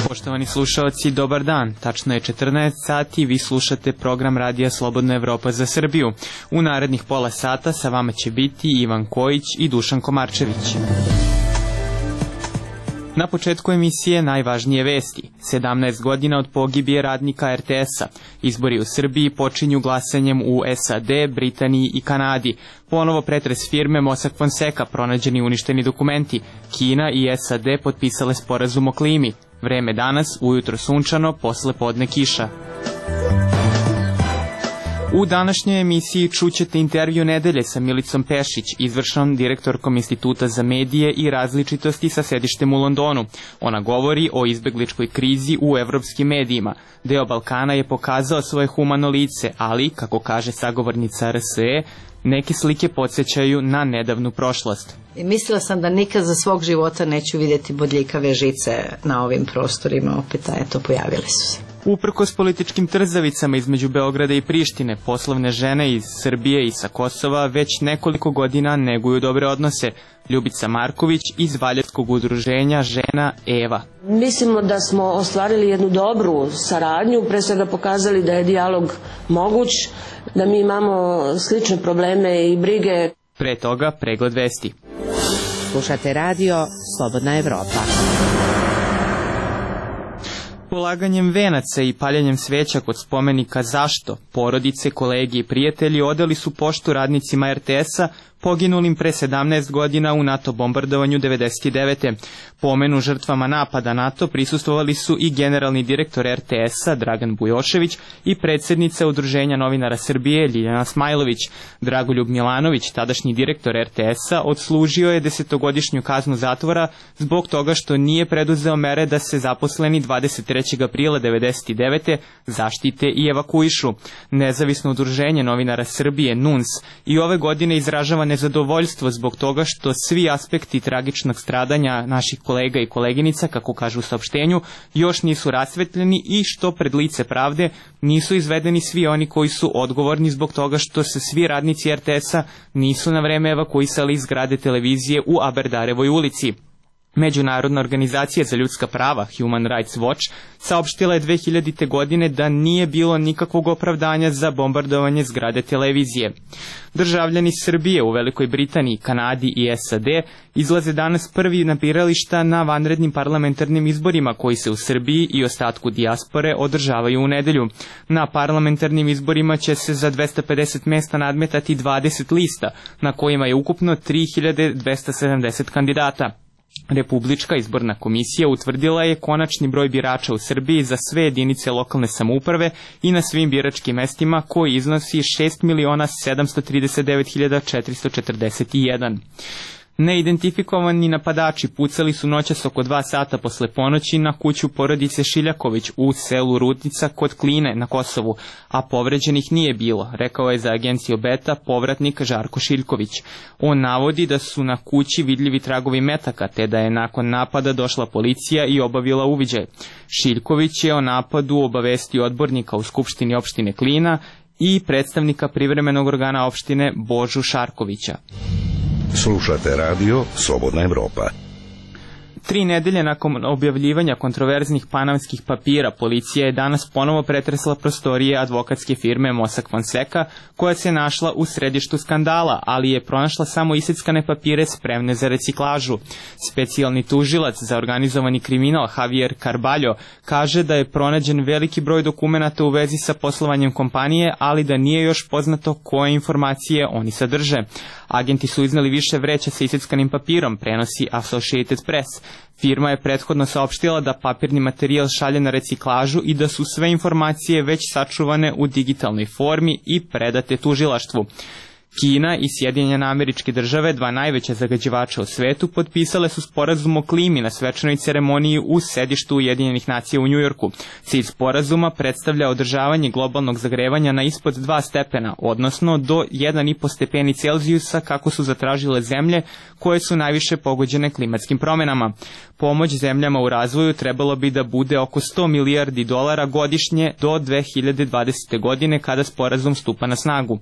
Poštovani slušalci, dobar dan. Tačno je 14 sati, vi slušate program Radija Slobodna Evropa za Srbiju. U narednih pola sata sa vama će biti Ivan Kojić i Dušan Komarčević. Na početku emisije najvažnije vesti. 17 godina od pogibije radnika RTS-a. Izbori u Srbiji počinju glasanjem u SAD, Britaniji i Kanadi. Ponovo pretres firme Mossack Fonseca, pronađeni uništeni dokumenti. Kina i SAD potpisale sporazum o klimi. Vreme danas, ujutro sunčano, posle podne kiša. U današnjoj emisiji čućete intervju nedelje sa Milicom Pešić, izvršnom direktorkom Instituta za medije i različitosti sa sedištem u Londonu. Ona govori o izbegličkoj krizi u evropskim medijima. Deo Balkana je pokazao svoje humano lice, ali, kako kaže sagovornica RSE, neke slike podsjećaju na nedavnu prošlost. I mislila sam da nikad za svog života neću vidjeti bodljikave žice na ovim prostorima, opet eto pojavile su se. Uprkos političkim trzavicama između Beograda i Prištine, poslovne žene iz Srbije i sa Kosova već nekoliko godina neguju dobre odnose. Ljubica Marković iz Valjevskog udruženja Žena Eva. Mislimo da smo ostvarili jednu dobru saradnju, pre svega pokazali da je dijalog moguć, da mi imamo slične probleme i brige. Pre toga pregled vesti. Slušate radio Slobodna Evropa. Polaganjem venaca i paljenjem sveća kod spomenika Zašto, porodice, kolegi i prijatelji odali su poštu radnicima RTS-a poginulim pre 17 godina u NATO bombardovanju 1999. Pomenu žrtvama napada NATO prisustvovali su i generalni direktor RTS-a Dragan Bujošević i predsjednica Udruženja novinara Srbije Ljiljana Smajlović. Dragoljub Milanović, tadašnji direktor RTS-a, odslužio je 10-godišnju kaznu zatvora zbog toga što nije preduzeo mere da se zaposleni 23. aprila 1999. zaštite i evakuišu. Nezavisno udruženje novinara Srbije NUNS i ove godine izražava nezadovoljstvo zbog toga što svi aspekti tragičnog stradanja naših kolega i koleginica, kako kažu u saopštenju, još nisu rasvetljeni i što pred lice pravde nisu izvedeni svi oni koji su odgovorni zbog toga što se svi radnici RTS-a nisu na vreme evakuisali iz zgrade televizije u Aberdarevoj ulici. Međunarodna organizacija za ljudska prava Human Rights Watch saopštila je 2000. godine da nije bilo nikakvog opravdanja za bombardovanje zgrade televizije. Državljani Srbije u Velikoj Britaniji, Kanadi i SAD izlaze danas prvi na birališta na vanrednim parlamentarnim izborima koji se u Srbiji i ostatku dijaspore održavaju u nedelju. Na parlamentarnim izborima će se za 250 mesta nadmetati 20 lista, na kojima je ukupno 3270 kandidata. Republička izborna komisija utvrdila je konačni broj birača u Srbiji za sve jedinice lokalne samouprave i na svim biračkim mestima koji iznosi 6.739.441. Neidentifikovani napadači pucali su noćas oko 2 sata posle ponoći na kuću porodice Šiljaković u selu Rudnica kod Kline na Kosovu, a povređenih nije bilo, rekao je za agenciju Beta povratnik Žarko Šiljković. On navodi da su na kući vidljivi tragovi metaka, te da je nakon napada došla policija i obavila uviđaj. Šiljković je o napadu obavestio odbornika u Skupštini opštine Klina i predstavnika privremenog organa opštine Božu Šarkovića. Slušate radio Slobodna Evropa. 3 nedelje nakon objavljivanja kontroverznih panamskih papira, policija je danas ponovo pretresla prostorije advokatske firme Mossack Fonseca, koja se našla u središtu skandala, ali je pronašla samo iseckane papire spremne za reciklažu. Specijalni tužilac za organizovani kriminal Javier Carballo kaže da je pronađen veliki broj dokumenata u vezi sa poslovanjem kompanije, ali da nije još poznato koje informacije oni sadrže. Agenti su iznali više vreća sa iseckanim papirom, prenosi Associated Press. Firma je prethodno saopštila da papirni materijal šalje na reciklažu i da su sve informacije već sačuvane u digitalnoj formi i predate tužilaštvu. Kina i Sjedinjene Američke Države, dva najveća zagađivača u svetu, potpisale su sporazum o klimi na svečanoj ceremoniji u sedištu Ujedinjenih nacija u Njujorku. Cilj sporazuma predstavlja održavanje globalnog zagrevanja na ispod 2 stepena, odnosno do 1,5 stepeni Celzijusa kako su zatražile zemlje koje su najviše pogođene klimatskim promenama. Pomoć zemljama u razvoju trebalo bi da bude oko $100 milijardi godišnje do 2020. godine kada sporazum stupa na snagu.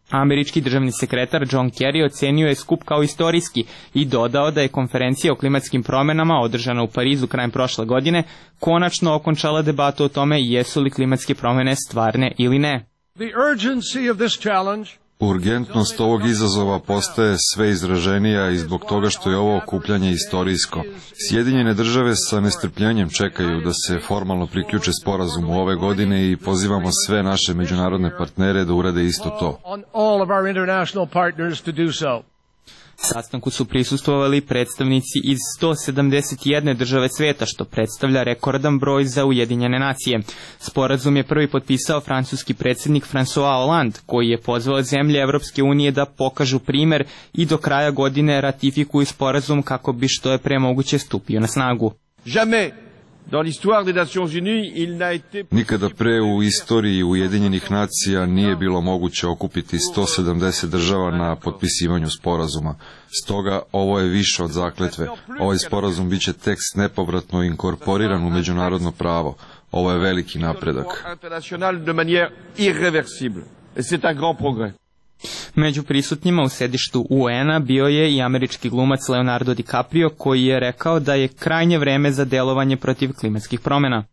Američki državni sekretar John Kerry ocenio je skup kao istorijski i dodao da je konferencija o klimatskim promjenama održana u Parizu krajem prošle godine konačno okončala debatu o tome jesu li klimatske promjene stvarne ili ne. Urgentnost ovog izazova postaje sve izraženija i zbog toga što je ovo okupljanje istorijsko. Sjedinjene države sa nestrpljenjem čekaju da se formalno priključe sporazumu ove godine i pozivamo sve naše međunarodne partnere da urade isto to. Sastanku su prisustvovali predstavnici iz 171 države sveta, što predstavlja rekordan broj za Ujedinjene nacije. Sporazum je prvi potpisao francuski predsjednik François Hollande, koji je pozvao zemlje Evropske unije da pokažu primer i do kraja godine ratifikuju sporazum kako bi što je pre moguće stupio na snagu. Nikada pre u istoriji Ujedinjenih nacija nije bilo moguće okupiti 170 država na potpisivanju sporazuma. Stoga ovo je više od zakletve. Ovaj sporazum biće tekst nepovratno inkorporiran u međunarodno pravo. Ovo je veliki napredak. Među prisutnjima u sedištu UN-a bio je i američki glumac Leonardo DiCaprio, koji je rekao da je krajnje vreme za delovanje protiv klimatskih promjena.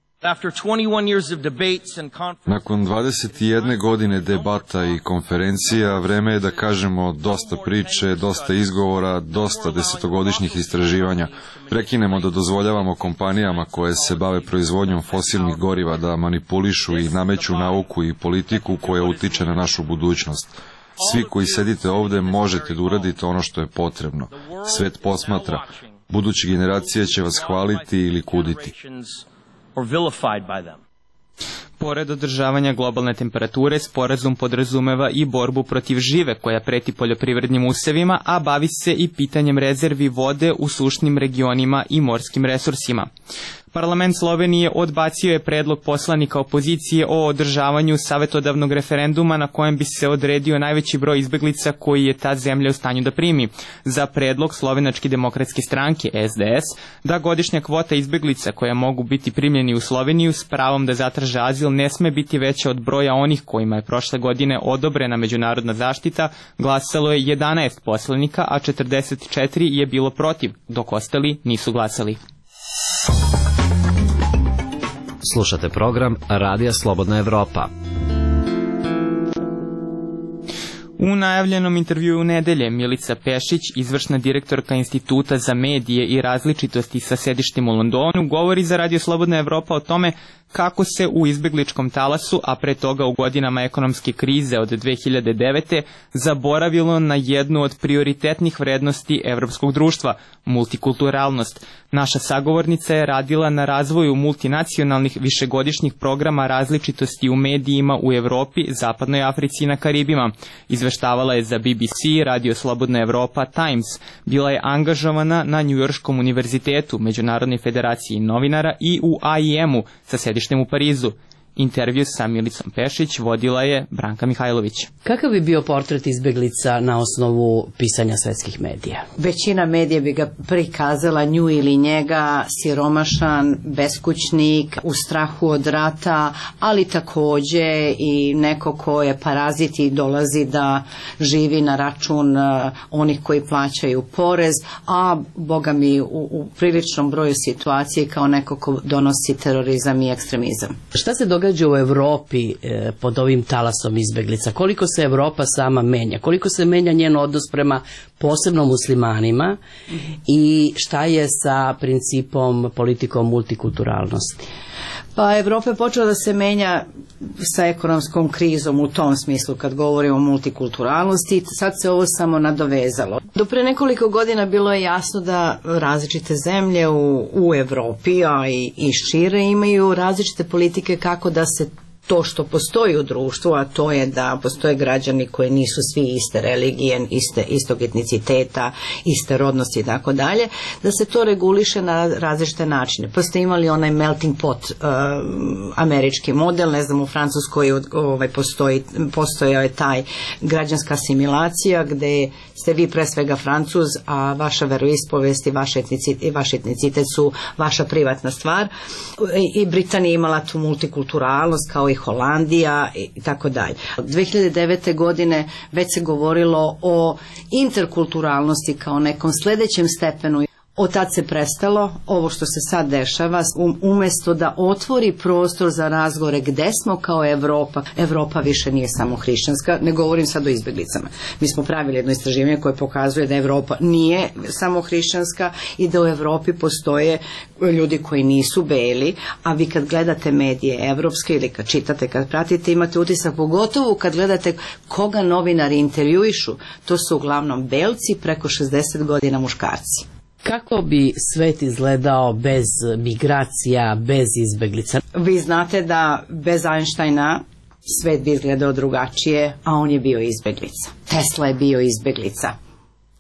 Nakon 21 godine debata i konferencija, vreme je da kažemo dosta priče, dosta izgovora, dosta desetogodišnjih istraživanja. Prekinemo da dozvoljavamo kompanijama koje se bave proizvodnjom fosilnih goriva da manipulišu i nameću nauku i politiku koja utiče na našu budućnost. Svi koji sedite ovde možete da uradite ono što je potrebno. Svet posmatra. Buduće generacije će vas hvaliti ili kuditi. Pored održavanja globalne temperature, sporazum podrazumeva i borbu protiv žive koja preti poljoprivrednim usevima, a bavi se i pitanjem rezervi vode u sušnim regionima i morskim resursima. Parlament Slovenije odbacio je predlog poslanika opozicije o održavanju savjetodavnog referenduma na kojem bi se odredio najveći broj izbeglica koji je ta zemlja u stanju da primi. Za predlog Slovenačke demokratske stranke SDS da godišnja kvota izbeglica koja mogu biti primljeni u Sloveniju s pravom da zatraže azil ne sme biti veća od broja onih kojima je prošle godine odobrena međunarodna zaštita, glasalo je 11 poslanika, a 44 je bilo protiv, dok ostali nisu glasali. Slušate program Radija Slobodna Evropa. U najavljenom intervjuu u nedelje Milica Pešić, izvršna direktorka Instituta za medije i različitosti sa sedištem u Londonu, govori za Radio Slobodna Evropa o tome kako se u izbegličkom talasu, a pre toga u godinama ekonomske krize od 2009. zaboravilo na jednu od prioritetnih vrednosti evropskog društva, multikulturalnost. Naša sagovornica je radila na razvoju multinacionalnih višegodišnjih programa različitosti u medijima u Evropi, Zapadnoj Africi i na Karibima. Izveštavala je za BBC, Radio Slobodna Evropa, Times. Bila je angažovana na Njujorškom univerzitetu, Međunarodnoj federaciji novinara i u AIM-u sa sedištem u Parizu. Intervju sa Milicom Pešić vodila je Branka Mihajlović. Kakav bi bio portret izbeglica na osnovu pisanja svetskih medija? Većina medija bi ga prikazala nju ili njega, siromašan, beskućnik, u strahu od rata, ali takođe i neko ko je parazit i dolazi da živi na račun onih koji plaćaju porez, a boga mi u priličnom broju situacije kao neko ko donosi terorizam i ekstremizam. Šta se događa u Evropi pod ovim talasom izbeglica? Koliko se Evropa sama menja? Koliko se menja njen odnos prema posebno muslimanima i šta je sa principom, politikom multikulturalnosti? Pa Evropa je počela da se menja sa ekonomskom krizom u tom smislu kad govorimo o multikulturalnosti, sad se ovo samo nadovezalo. Do pre nekoliko godina bilo je jasno da različite zemlje u Evropi, a i šire imaju različite politike kako da se to što postoji u društvu, a to je da postoje građani koji nisu svi iste religije, istog etniciteta, iste rodnosti i tako dalje, da se to reguliše na različite načine. Pa ste imali onaj melting pot američki model, ne znam, u Francuskoj postojao je taj građanska asimilacija gde ste vi pre svega Francuz, a vaša veroispovest i vaš etnicitet su vaša privatna stvar. I Britanija je imala tu multikulturalnost kao i Holandija i tako dalje. Od 2009. godine već se govorilo o interkulturalnosti kao nekom sledećem stepenu. Od tad se prestalo, ovo što se sad dešava, umesto da otvori prostor za razgovore gde smo kao Evropa. Evropa više nije samo hrišćanska, ne govorim sad o izbeglicama. Mi smo pravili jedno istraživanje koje pokazuje da Evropa nije samo hrišćanska i da u Evropi postoje ljudi koji nisu beli, a vi kad gledate medije evropske ili kad čitate, kad pratite, imate utisak, pogotovo kad gledate koga novinari intervjuišu, to su uglavnom belci, preko 60 godina muškarci. Kako bi svet izgledao bez migracija, bez izbeglica? Vi znate da bez Einsteina svet bi izgledao drugačije, a on je bio izbeglica. Tesla je bio izbeglica.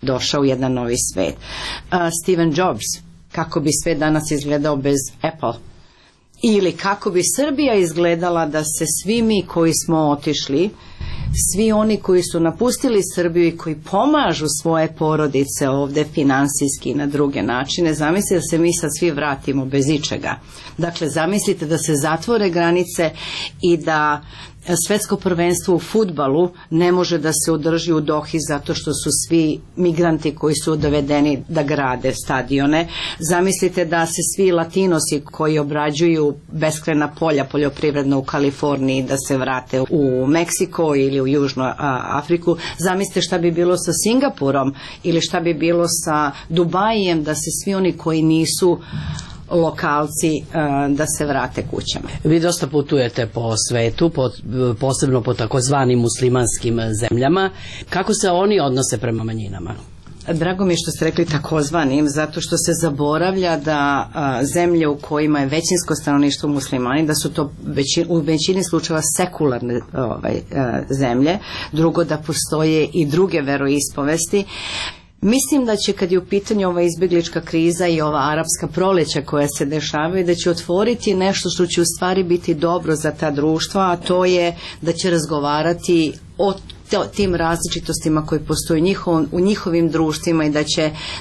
Došao u jedan novi svet. Steve Jobs, kako bi svet danas izgledao bez Apple? Ili kako bi Srbija izgledala da se svi mi koji smo otišli, svi oni koji su napustili Srbiju i koji pomažu svoje porodice ovde finansijski i na druge načine, zamislite da se mi sad svi vratimo bez ičega. Dakle, zamislite da se zatvore granice i da svetsko prvenstvo u fudbalu ne može da se održi u Dohi zato što su svi migranti koji su dovedeni da grade stadione. Zamislite da se svi latinosi koji obrađuju beskrajna polja poljoprivredna u Kaliforniji da se vrate u Meksiko ili u Južnu Afriku. Zamislite šta bi bilo sa Singapurom ili šta bi bilo sa Dubajem da se svi oni koji nisu lokalci da se vrate kućama. Vi dosta putujete po svetu, posebno po takozvanim muslimanskim zemljama. Kako se oni odnose prema manjinama? Drago mi je što ste rekli takozvanim, zato što se zaboravlja da zemlje u kojima je većinsko stanovništvo muslimani, da su to u većini slučajeva sekularne zemlje, drugo da postoje i druge veroispovesti. Mislim da će, kad je u pitanju ova izbjeglička kriza i ova arapska proleća koja se dešavaju, da će otvoriti nešto što će u stvari biti dobro za ta društva, a to je da će razgovarati o tim različitostima koji postoje u njihovim društvima i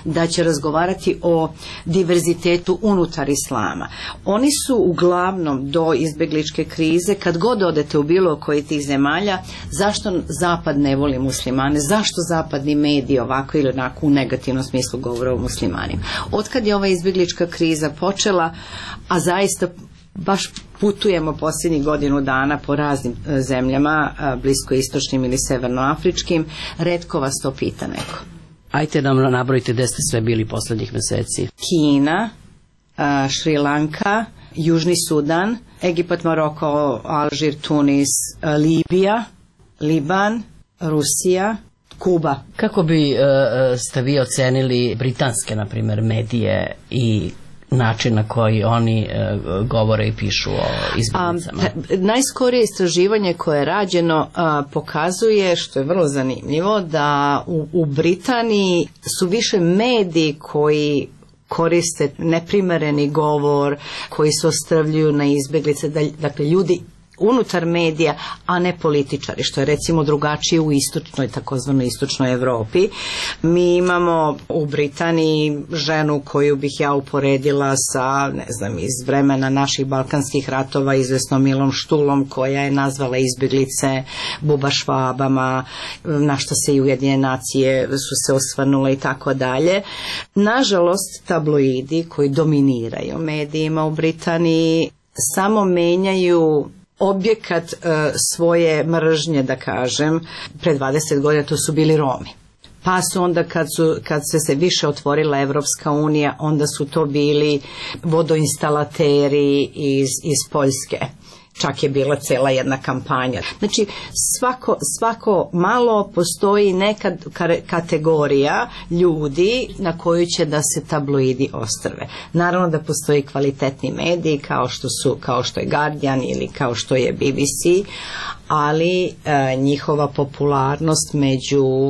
da će razgovarati o diverzitetu unutar islama. Oni su uglavnom do izbjegličke krize, kad god odete u bilo koji tih zemalja, zašto Zapad ne voli muslimane, zašto zapadni mediji ovako ili onako u negativnom smislu govore o muslimanima. Otkad je ova izbjeglička kriza počela, a zaista baš putujemo posljednjih godinu dana po raznim zemljama, bliskoistočnim ili severnoafričkim, retko vas to pita neko. Ajte nam nabrojite gde ste sve bili poslednjih meseci. Kina, Šri Lanka, Južni Sudan, Egipat, Maroko, Alžir, Tunis, Libija, Liban, Rusija, Kuba. Kako bi ste vi ocenili britanske, na primjer, medije i način na koji oni govore i pišu o izbjeglicama? Najskorije istraživanje koje je rađeno pokazuje, što je vrlo zanimljivo, da u Britaniji su više mediji koji koriste neprimereni govor, koji se ostrvljuju na izbjeglice, dakle ljudi unutar medija, a ne političari, što je recimo drugačije u istočnoj, takozvanoj istočnoj Evropi. Mi imamo u Britaniji ženu koju bih ja uporedila sa, ne znam, iz vremena naših balkanskih ratova, izvesnom Milom Štulom, koja je nazvala izbjeglice bubašvabama, na što se i Ujedinjene nacije su se osvrnule i tako dalje. Nažalost, tabloidi koji dominiraju medijima u Britaniji samo menjaju objekat svoje mržnje, da kažem. Pre 20 godina to su bili Romi. pa su onda kad se više otvorila Evropska unija, onda su to bili vodoinstalateri iz Poljske. Čak je bila cela jedna kampanja. Znači, svako malo postoji neka kategorija ljudi na koju će da se tabloidi ostrve. Naravno da postoji kvalitetni mediji kao što je Guardian ili kao što je BBC, ali njihova popularnost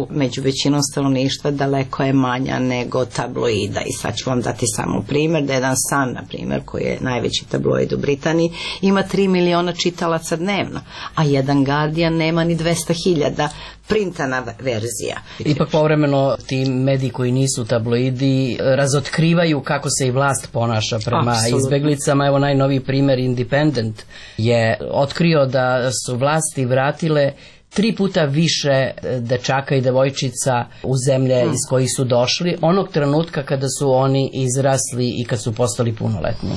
među većinom stanovništva daleko je manja nego tabloida. I sad ću vam dati samo primjer da jedan Sun, na primjer, koji je najveći tabloid u Britaniji, ima 3 miliona čitalaca dnevno, a jedan Guardian nema ni 200.000 printana verzija. Ipak povremeno ti mediji koji nisu tabloidi razotkrivaju kako se i vlast ponaša prema izbeglicama. Evo najnoviji primjer, Independent je otkrio da su vlasti vratile 3 puta više dečaka i devojčica u zemlje iz kojih su došli onog trenutka kada su oni izrasli i kad su postali punoletni.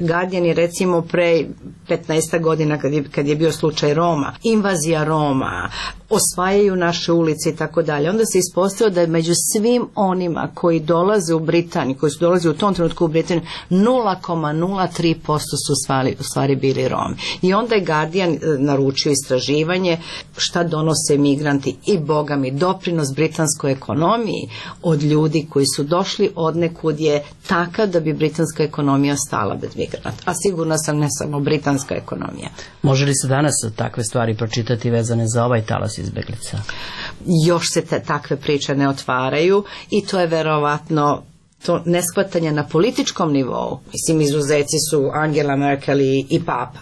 Guardian je recimo pre 15 godina kad je bio slučaj Roma, invazija Roma, osvajaju naše ulice i tako dalje. Onda se ispostavilo da je među svim onima koji dolaze u Britaniju, koji su dolaze u tom trenutku u Britaniju, 0,03% su u stvari bili Romi. I onda je Guardian naručio istraživanje šta donose migranti i boga mi doprinos britanskoj ekonomiji od ljudi koji su došli od nekud je takav da bi britanska ekonomija stala bez migranata. A sigurno sam ne samo britanska ekonomija. Može li se danas takve stvari pročitati vezane za ovaj talas izbeglica? Još se takve priče ne otvaraju i to je verovatno to neshvatanje na političkom nivou. Mislim, izuzeci su Angela Merkel i Papa.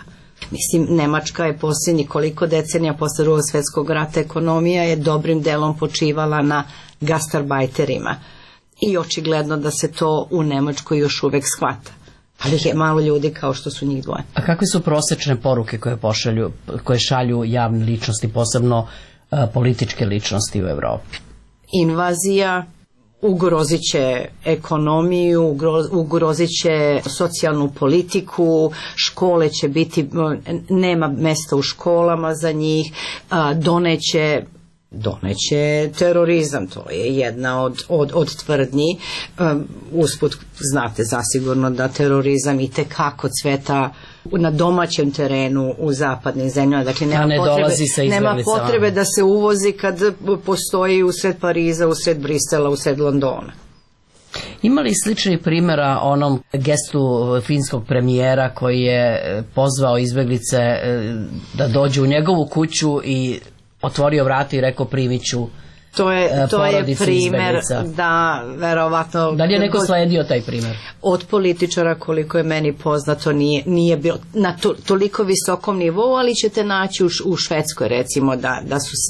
Mislim, Nemačka je posljednjih koliko decenija posle Drugog svjetskog rata ekonomija je dobrim delom počivala na gastarbajterima. I očigledno da se to u Nemačkoj još uvek shvata. Ali je malo ljudi kao što su njih dvoje. A kakve su prosečne poruke koje šalju javne ličnosti, posebno političke ličnosti u Evropi? Invazija ugrozit će ekonomiju, ugrozit će socijalnu politiku, škole će biti, nema mesta u školama za njih, doneće terorizam, to je jedna od tvrdnji. Usput znate zasigurno da terorizam i tekako cveta na domaćem terenu u zapadnim zemljama. Dakle, nema potrebe da se uvozi kad postoji usred Pariza, usred Brisela, usred Londona. Ima li sličnih primjera onom gestu finskog premijera koji je pozvao izbeglice da dođu u njegovu kuću i otvorio vrata i rekao primit ću to je primjer da verovatno... Da li je neko sledio taj primjer? Od političara, koliko je meni poznato, nije bilo na toliko visokom nivou, ali ćete naći u Švedskoj recimo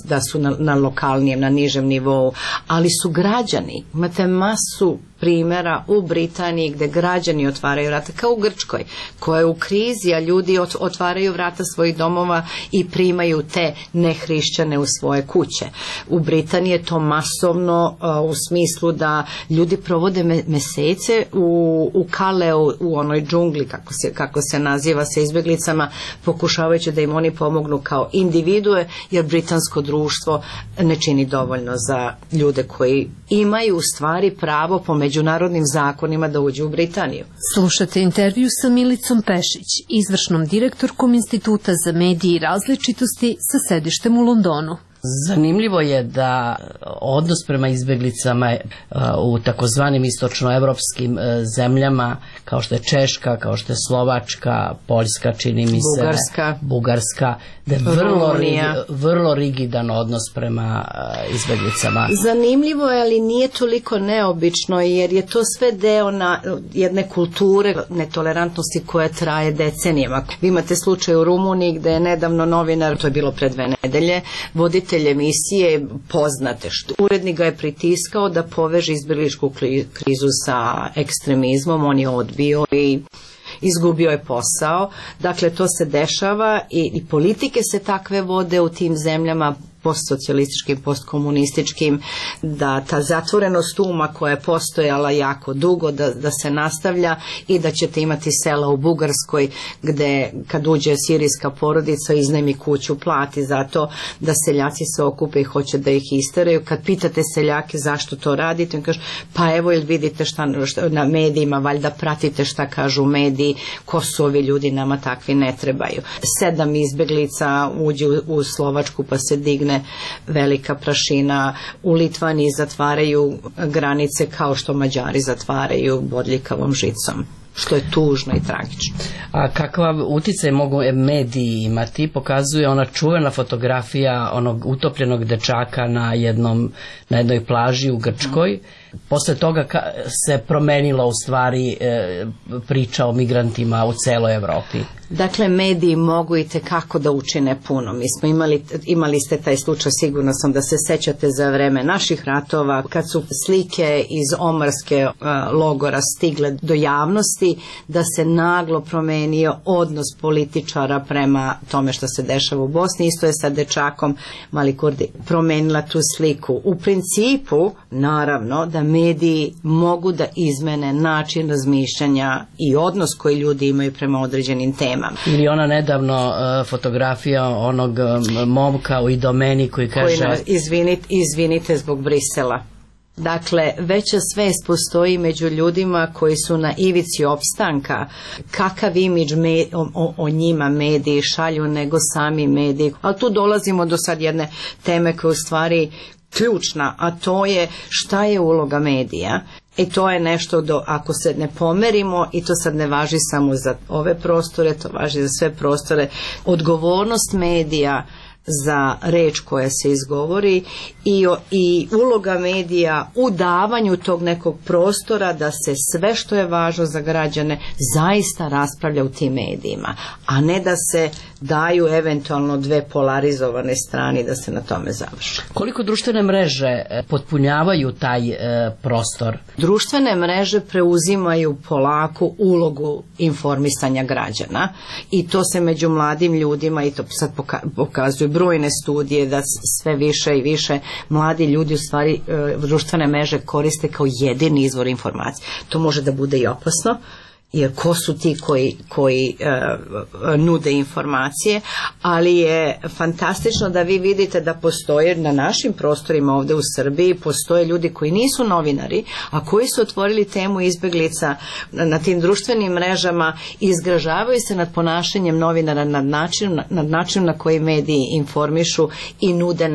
da su na lokalnijem, na nižem nivou, ali su građani. Imate masu primjera u Britaniji gdje građani otvaraju vrata, kao u Grčkoj, koja je u krizi, a ljudi otvaraju vrata svojih domova i primaju te nehrišćane u svoje kuće. U Britaniji je to masovno u smislu da ljudi provode mesece u Kaleu, u onoj džungli, kako se naziva, sa izbjeglicama, pokušavajući da im oni pomognu kao individue, jer britansko društvo ne čini dovoljno za ljude koji imaju u stvari pravo po međunarodnim zakonima da uđu u Britaniju. Slušate intervju sa Milicom Pešić, izvršnom direktorkom Instituta za medije i različitosti sa sedištem u Londonu. Zanimljivo je da odnos prema izbjeglicama u takozvanim istočnoevropskim zemljama, kao što je Češka, kao što je Slovačka, Poljska, čini mi se, Bugarska, da je vrlo rigidan odnos prema izbjeglicama. Zanimljivo je, ali nije toliko neobično, jer je to sve deo jedne kulture netolerantnosti koja traje decenijama. Vi imate slučaj u Rumuniji gde je nedavno novinar, to je bilo pre 2 nedelje, voditelj emisije poznate, urednik ga je pritiskao da poveže izbjegličku krizu sa ekstremizmom, on je odbio i izgubio je posao. Dakle, to se dešava i politike se takve vode u tim zemljama, postsocijalističkim, postkomunističkim, da ta zatvorenost uma koja je postojala jako dugo, da se nastavlja i da ćete imati sela u Bugarskoj gde kad uđe sirijska porodica iznajmi kuću, plati zato da seljaci se okupe i hoće da ih isteraju. Kad pitate seljake zašto to radite, on kaže pa evo ili vidite šta na medijima, valjda pratite šta kažu mediji, ko su ovi ljudi, nama takvi ne trebaju. 7 izbeglica uđe u Slovačku pa se digne velika prašina, u Litvaniji zatvaraju granice kao što Mađari zatvaraju bodljikavom žicom, što je tužno i tragično. A kakav uticaj mogu mediji imati? Pokazuje ona čuvena fotografija onog utopljenog dečaka na jednoj plaži u Grčkoj. Posle toga se promenila u stvari priča o migrantima u celoj Evropi. Dakle, mediji mogu i tekako da učine puno. Mi smo imali ste taj slučaj, sigurno sam da se sećate za vreme naših ratova, kad su slike iz omarske logora stigle do javnosti, da se naglo promenio odnos političara prema tome što se dešava u Bosni. Isto je sa dečakom Mali Kurdi promenila tu sliku. U principu, naravno, da mediji mogu da izmene način razmišljanja i odnos koji ljudi imaju prema određenim temama. Ili ona nedavno fotografija onog momka u Idomeni koji kaže izvinite zbog Brisela. Dakle, veća svest postoji među ljudima koji su na ivici opstanka, kakav imidž o njima mediji šalju nego sami mediji. Ali tu dolazimo do sad jedne teme koja je u stvari ključna, a to je šta je uloga medija. I to je nešto ako se ne pomerimo, i to sad ne važi samo za ove prostore, to važi za sve prostore, odgovornost medija za reč koja se izgovori i uloga medija u davanju tog nekog prostora da se sve što je važno za građane zaista raspravlja u tim medijima, a ne da se daju eventualno dve polarizovane strane da se na tome završi. Koliko društvene mreže potpunjavaju taj prostor? Društvene mreže preuzimaju polako ulogu informisanja građana i to se među mladim ljudima, i to sad pokazuju brojne studije, da sve više i više mladi ljudi u stvari društvene mreže koriste kao jedini izvor informacije. To može da bude i opasno, jer ko su ti koji nude informacije, ali je fantastično da vi vidite da postoje na našim prostorima ovde u Srbiji, postoje ljudi koji nisu novinari, a koji su otvorili temu izbeglica na tim društvenim mrežama i izgražavaju se nad ponašanjem novinara, nad načinom na koji mediji informišu i nude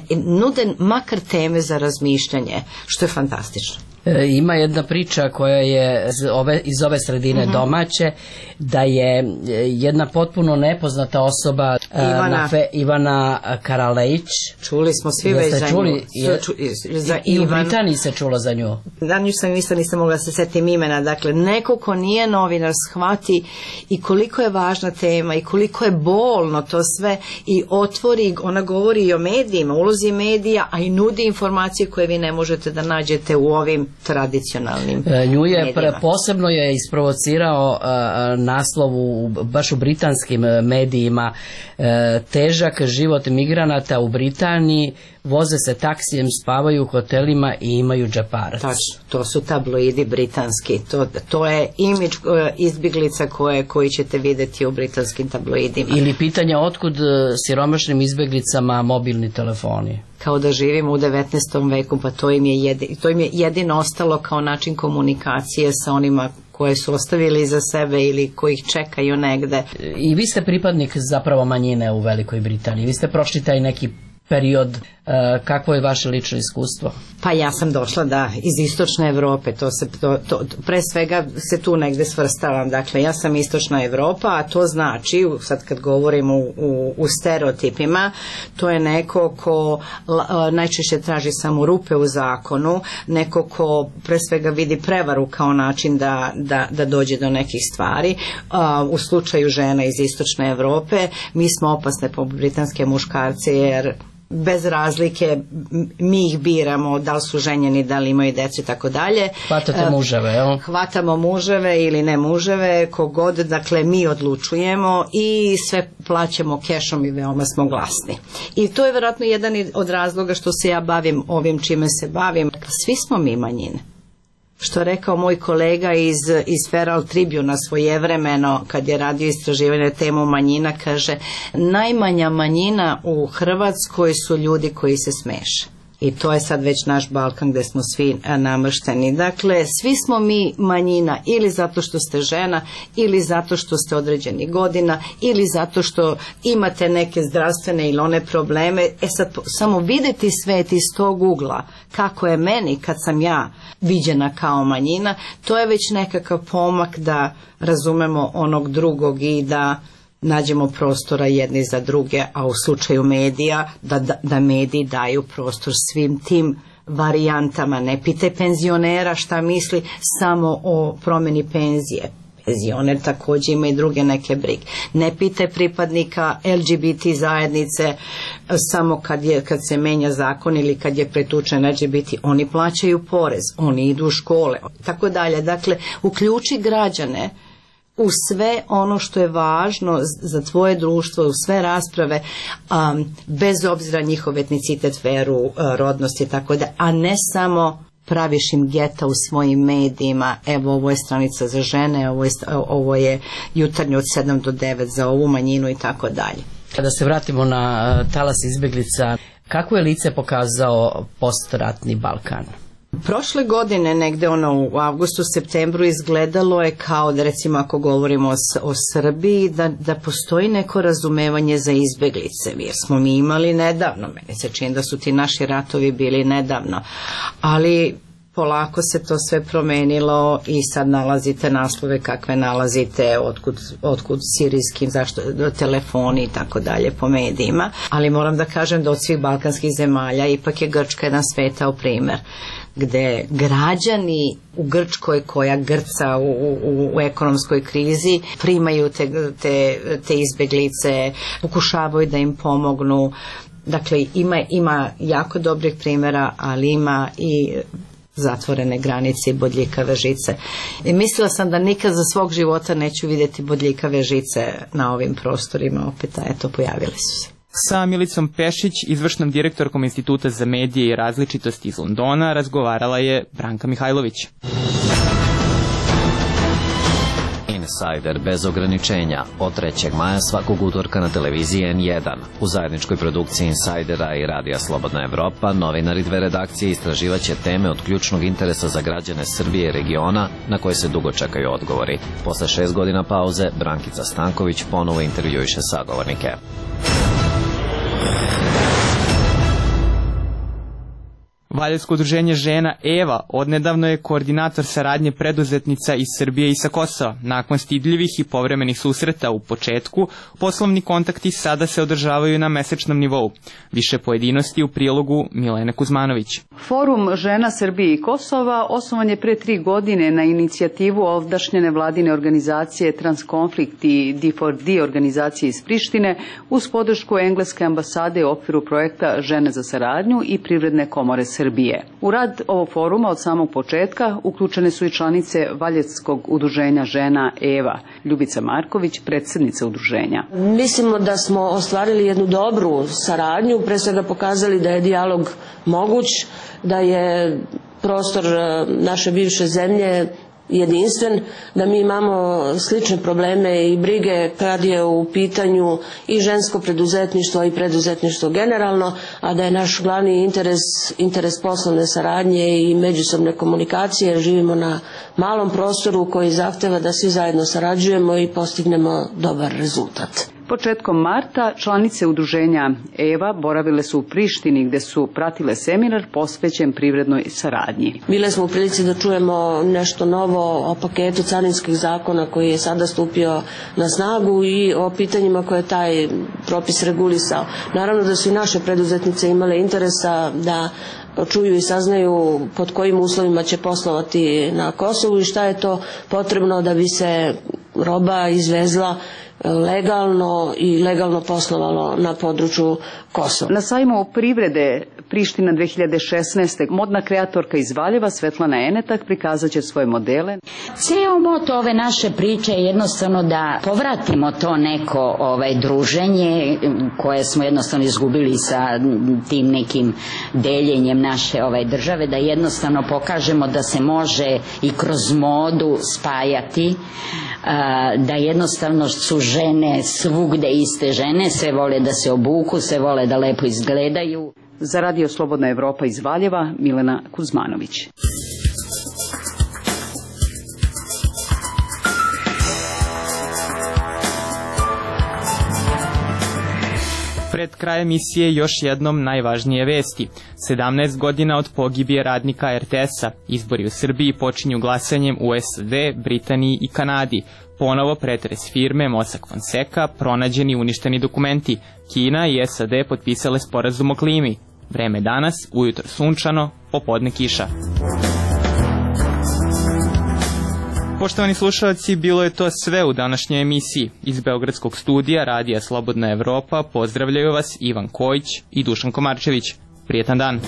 nude makar teme za razmišljanje, što je fantastično. Ima jedna priča koja je iz ove sredine domaće, da je jedna potpuno nepoznata osoba Ivana Karalejić. Čuli smo svi već za nju. I u Britaniji se čulo za nju. Da, nju sam isto nisam mogla se setim imena. Dakle, neko ko nije novinar shvati i koliko je važna tema i koliko je bolno to sve i otvori, ona govori i o medijima, ulozi medija, a i nudi informacije koje vi ne možete da nađete u ovim tradicionalnim nju je posebno je isprovocirao naslov baš u britanskim medijima, težak život migranata u Britaniji, voze se taksijem, spavaju u hotelima i imaju džeparac. To su tabloidi britanski, to je imidž izbjeglica koji ćete vidjeti u britanskim tabloidima. Ili pitanja otkud siromašnim izbjeglicama mobilni telefoni. Kao da živimo u 19. veku, pa to im je jedino ostalo kao način komunikacije sa onima koje su ostavili iza sebe ili koji ih čekaju negde. I vi ste pripadnik zapravo manjine u Velikoj Britaniji. Vi ste prošli taj neki period, kakvo je vaše lično iskustvo? Pa ja sam došla iz istočne Evrope, pre svega se tu negde svrstavam, dakle ja sam istočna Evropa, a to znači, sad kad govorimo u stereotipima, to je neko ko najčešće traži samo rupe u zakonu, neko ko pre svega vidi prevaru kao način da dođe do nekih stvari. U slučaju žena iz istočne Evrope mi smo opasne po britanske muškarce jer bez razlike, mi ih biramo, da li su ženjeni, da li imaju djecu i tako dalje. Hvatate muževe, jel? Hvatamo muževe ili ne muževe, kogod, dakle mi odlučujemo i sve plaćamo kešom i veoma smo glasni. I to je vjerojatno jedan od razloga što se ja bavim ovim čime se bavim. Svi smo mi manjine. Što je rekao moj kolega iz Feral Tribuna svojevremeno, kad je radio istraživanje temu manjina, kaže, najmanja manjina u Hrvatskoj su ljudi koji se smeše. I to je sad već naš Balkan gdje smo svi namršteni. Dakle, svi smo mi manjina ili zato što ste žena, ili zato što ste određeni godina, ili zato što imate neke zdravstvene ili one probleme. Sad, samo vidjeti svet iz tog ugla, kako je meni kad sam ja viđena kao manjina, to je već nekakav pomak da razumemo onog drugog i da nađemo prostora jedni za druge, a u slučaju medija da mediji daju prostor svim tim varijantama. Ne pitaj penzionera šta misli samo o promjeni penzije. Penzioner također ima i druge neke brige. Ne pitaj pripadnika LGBT zajednice samo kad se menja zakon ili kad je pretučen LGBT, oni plaćaju porez, oni idu u škole, tako dalje. Dakle, uključi građane u sve ono što je važno za tvoje društvo, u sve rasprave, bez obzira njihov etnicitet, veru, rodnost i tako da, a ne samo praviš im geta u svojim medijima, evo ovo je stranica za žene, ovo je jutarnje od 7 do 9 za ovu manjinu i tako dalje. Kada se vratimo na talas izbjeglica, kako je lice pokazao postratni Balkan? Prošle godine, negde u avgustu, septembru, izgledalo je kao da, recimo ako govorimo o Srbiji, da postoji neko razumevanje za izbjeglice, jer smo mi imali nedavno, meni se čini da su ti naši ratovi bili nedavno, ali polako se to sve promenilo i sad nalazite naslove kakve nalazite, otkud sirijskim, telefoni i tako dalje po medijima, ali moram da kažem da od svih balkanskih zemalja ipak je Grčka jedan svetao primer, gde građani u Grčkoj koja grca u ekonomskoj krizi primaju te izbjeglice, pokušavaju da im pomognu. Dakle, ima jako dobrih primjera, ali ima i zatvorene granice i bodljikave žice. I mislila sam da nikad za svog života neću vidjeti bodljikave žice na ovim prostorima, opet, eto, pojavili su se. Sa Milicom Pešić, izvršnom direktorkom Instituta za medije i različitosti iz Londona, razgovarala je Branka Mihajlović. Insider bez ograničenja od 3. maja svakog utorka na televiziji N1. U zajedničkoj produkciji Insidera i Radija Slobodna Evropa novinari dve redakcije istraživaće teme od ključnog interesa za građane Srbije i regiona na koje se dugo čekaju odgovori. Posle 6 godina pauze, Brankica Stanković ponovo intervjuiše sagovornike. Valjevsko udruženje žena EVA odnedavno je koordinator saradnje preduzetnica iz Srbije i sa Kosova. Nakon stidljivih i povremenih susreta u početku, poslovni kontakti sada se održavaju na mesečnom nivou. Više pojedinosti u prilogu Milene Kuzmanović. Forum žena Srbije i Kosova osnovan je pre 3 godine na inicijativu ovdašnje nevladine organizacije Transkonflikt i D4D organizacije iz Prištine uz podršku engleske ambasade u okviru projekta Žene za saradnju i Privredne komore Srbije. U rad ovog foruma od samog početka uključene su i članice Valjevskog udruženja žena EVA. Ljubica Marković, predsjednica udruženja. Mislimo da smo ostvarili jednu dobru saradnju, pre svega pokazali da je dijalog moguć, da je prostor naše bivše zemlje jedinstven, da mi imamo slične probleme i brige kad je u pitanju i žensko preduzetništvo i preduzetništvo generalno, a da je naš glavni interes poslovne saradnje i međusobne komunikacije. Živimo na malom prostoru koji zahteva da svi zajedno sarađujemo i postignemo dobar rezultat. Početkom marta članice udruženja EVA boravile su u Prištini gde su pratile seminar posvećen privrednoj saradnji. Bile smo u prilici da čujemo nešto novo o paketu carinskih zakona koji je sada stupio na snagu i o pitanjima koje je taj propis regulisao. Naravno da su i naše preduzetnice imale interesa da čuju i saznaju pod kojim uslovima će poslovati na Kosovu i šta je to potrebno da bi se roba izvezla legalno i legalno poslovalo na području Kosova. Na sajmu privrede Priština 2016. modna kreatorka iz Valjeva Svetlana Enetak prikazat će svoje modele. Ceo moto ove naše priče je jednostavno da povratimo to neko druženje koje smo jednostavno izgubili sa tim nekim deljenjem naše države, da jednostavno pokažemo da se može i kroz modu spajati, da jednostavno su žene svugde iste žene, sve vole da se obuku, sve vole da lepo izgledaju. Za Radio Slobodna Evropa iz Valjeva, Milena Kuzmanović. Pred kraj emisije još jednom najvažnije vesti. 17 godina od pogibije radnika RTS-a. Izbori u Srbiji počinju glasanjem u SAD, Britaniji i Kanadi. Ponovo pretres firme Mossack Fonseca, pronađeni i uništeni dokumenti. Kina i SAD potpisale sporazum o klimi. Vreme danas, ujutro sunčano, popodne kiša. Poštovani slušalci, bilo je to sve u današnjoj emisiji. Iz Beogradskog studija Radija Slobodna Evropa pozdravljaju vas Ivan Kojić i Dušan Komarčević. Prijetan dan!